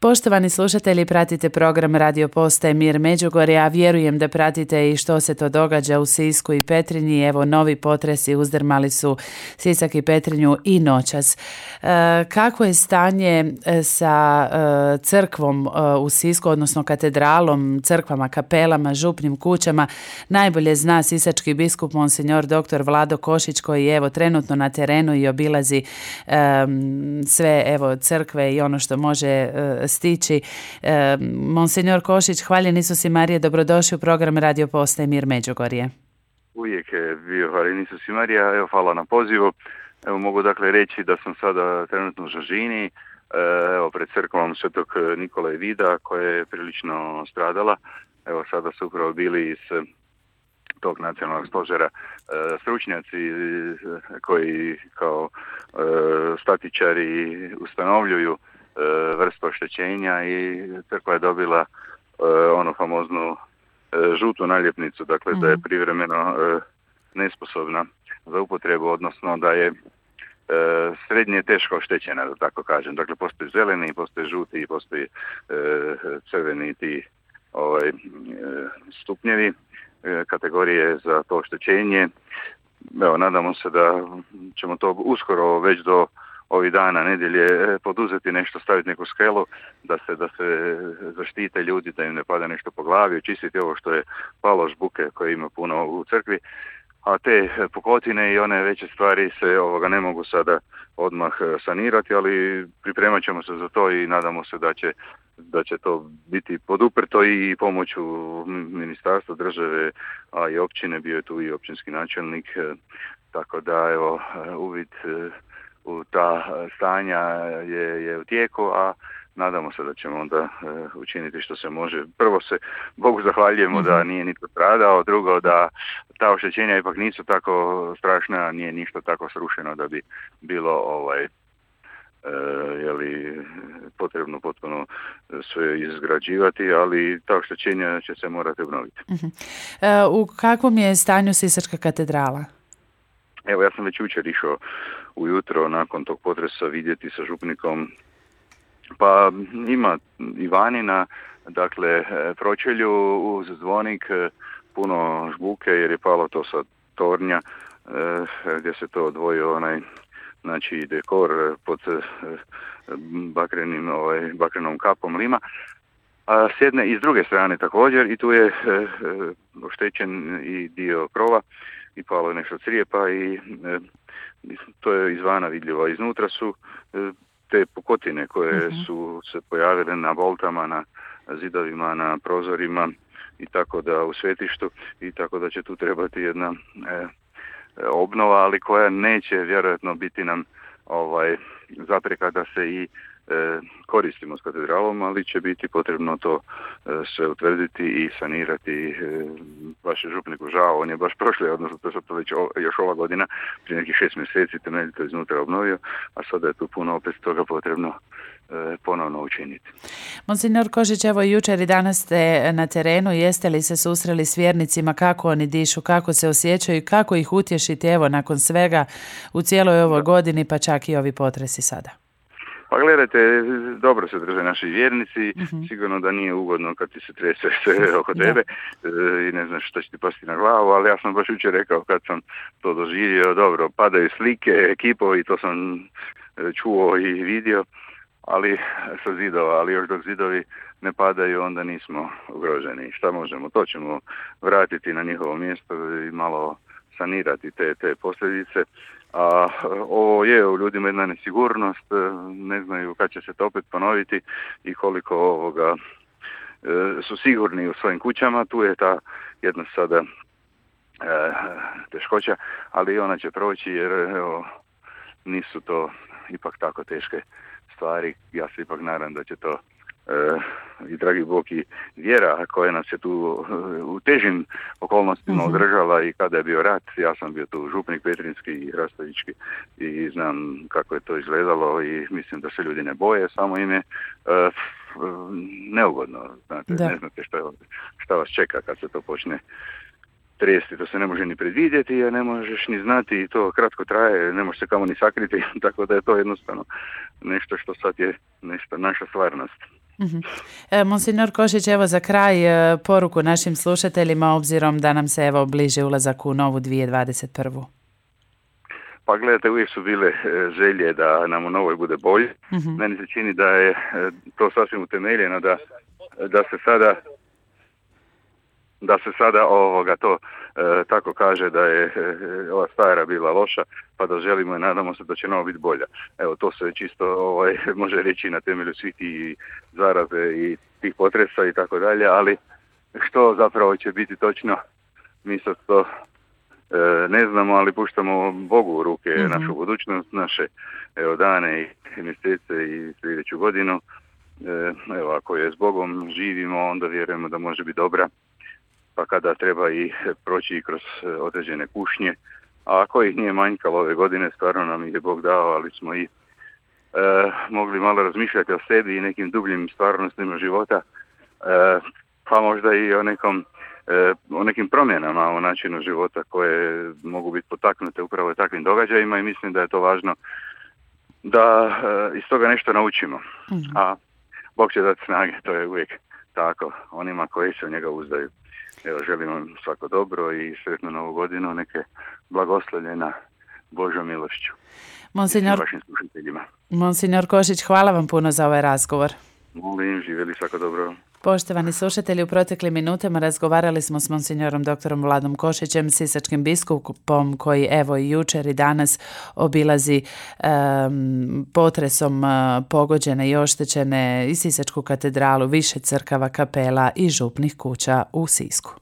Poštovani slušatelji, pratite program Radio Postaje Mir Međugorje, a vjerujem da pratite i što se to događa u Sisku i Petrinji. Evo, novi potresi uzdrmali su Sisak i Petrinju i noćas. Kako je stanje sa crkvom u Sisku, odnosno katedralom, crkvama, kapelama, župnim kućama, najbolje zna sisački biskup Monsignor dr. Vlado Košić, koji je evo trenutno na terenu i obilazi sve evo crkve i ono što može stići. Monsignor Košić, hvaljen Isus i Marija, dobrodošli u program Radio Postaje Mir Međugorje. Uvijek je bio hvaljen Isus i Marija, evo hvala na pozivu. Evo mogu dakle reći da sam sada trenutno u Žažini, evo pred crkvom Svetog Nikole Vida koja je prilično stradala. Evo sada su upravo bili iz tog nacionalnog stožera stručnjaci koji kao statičari ustanovljuju vrstu oštećenja i crkva je dobila onu famoznu žutu naljepnicu, dakle da je privremeno nesposobna za upotrebu, odnosno da je srednje teško oštećena, da tako kažem. Dakle, postoji zeleni, postoji žuti, postoji crveni ti stupnjevi, kategorije za to oštećenje. Evo, nadamo se da ćemo to uskoro već do ovih dana, nedjelje, poduzeti nešto, staviti neku skelu, da se zaštite ljudi, da im ne pada nešto po glavi, očistiti ovo što je palo žbuke koje ima puno u crkvi, a te pukotine i one veće stvari se ne mogu sada odmah sanirati, ali pripremat ćemo se za to i nadamo se da će to biti poduprto i pomoću ministarstva, države, a i općine, bio je tu i općinski načelnik, tako da evo uvid u ta stanja je u tijeku, a nadamo se da ćemo onda učiniti što se može. Prvo se Bogu zahvaljujemo da nije nitko stradao, drugo da ta oštećenja ipak nisu tako strašna, nije ništa tako srušeno da bi bilo potrebno potpuno sve izgrađivati, ali ta oštećenja će se morati obnoviti. U kakvom je stanju Sisačka katedrala? Evo, ja sam već jučer išao ujutro nakon tog potresa vidjeti sa župnikom, pa ima i vani na pročelju uz zvonik puno žbuke jer je palo to sa tornja gdje se to odvojio dekor pod bakrenom kapom lima. A s jedne i s druge strane također i tu je oštećen i dio krova i palo je nešto crijepa i to je izvana vidljivo. Iznutra su te pukotine koje su se pojavile na voltama, na zidovima, na prozorima i tako da u svetištu i tako da će tu trebati jedna obnova, ali koja neće vjerojatno biti nam zapreka da se i koristimo s katedralom, ali će biti potrebno to sve utvrditi i sanirati. Baš je župniku žao, on je baš prošle, odnosno to je to već još ova godina, prije nekih 6 mjeseci temeljito iznutra obnovio, a sada je tu puno opet toga potrebno ponovno učiniti. Monsignor Košić, evo jučer i danas ste na terenu, jeste li se susreli s vjernicima, kako oni dišu, kako se osjećaju i kako ih utješiti evo nakon svega u cijeloj ovoj godini, pa čak i ovi potresi sada? Pa gledajte, dobro se drže naši vjernici, sigurno da nije ugodno kad ti se trese sve oko tebe i ne znaš što će ti pasti na glavu, ali ja sam baš jučer rekao kad sam to doživio, dobro, padaju slike, ekipovi, to sam čuo i vidio, ali sa zidova, ali još dok zidovi ne padaju, onda nismo ugroženi. Šta možemo? To ćemo vratiti na njihovo mjesto i malo sanirati te posljedice. A ovo je u ljudima jedna nesigurnost, ne znaju kad će se to opet ponoviti i koliko su sigurni u svojim kućama. Tu je ta jedna sada teškoća, ali ona će proći jer nisu to ipak tako teške stvari. Ja se ipak nadam da će to i dragi Bog i vjera koja nas je tu u težim okolnostima održala i kada je bio rat. Ja sam bio tu župnik petrinjski i hrastovički i znam kako je to izgledalo i mislim da se ljudi ne boje, samo im je neugodno. Znate, ne znate šta vas čeka kad se to počne tresti, to se ne može ni predvidjeti, a ne možeš ni znati i to kratko traje, ne može se kamo ni sakriti, tako da je to jednostavno nešto što sad je nešto naša stvarnost. Monsignor Košić, evo za kraj poruku našim slušateljima obzirom da nam se evo bliže ulazak u novu 2021. Pa gledajte, uvijek su bile želje da nam u novoj bude bolje. Meni se čini da je to sasvim utemeljeno, da se sada to tako kaže da je ova stara bila loša, pa da želimo i nadamo se da će novo biti bolja. Evo, to se čisto može reći na temelju svih tih zaraze i tih potresa i tako dalje, ali što zapravo će biti točno, mi sad to ne znamo, ali puštamo Bogu u ruke našu budućnost, naše dane i mjesece i sljedeću godinu. Evo, ako je s Bogom živimo, onda vjerujemo da može biti dobra, pa kada treba i proći kroz određene kušnje, a ako ih nije manjkalo ove godine, stvarno nam ih je Bog dao, ali smo i mogli malo razmišljati o sebi i nekim dubljim stvarnostima života, pa možda i o nekim promjenama u načinu života koje mogu biti potaknute upravo takvim događajima i mislim da je to važno da iz toga nešto naučimo. A Bog će dati snage, to je uvijek tako, onima koji se u njega uzdaju. Evo, želim vam svako dobro i sretnu novu godinu, neke blagoslovljena Božjom milošću. Monsignor Košić, hvala vam puno za ovaj razgovor. Molim, živjeli svako dobro. Poštovani slušatelji, u proteklim minutama razgovarali smo s monsignorom doktorom Vladom Košićem, sisačkim biskupom koji evo i jučer i danas obilazi potresom pogođene i oštećene i Sisačku katedralu, više crkava, kapela i župnih kuća u Sisku.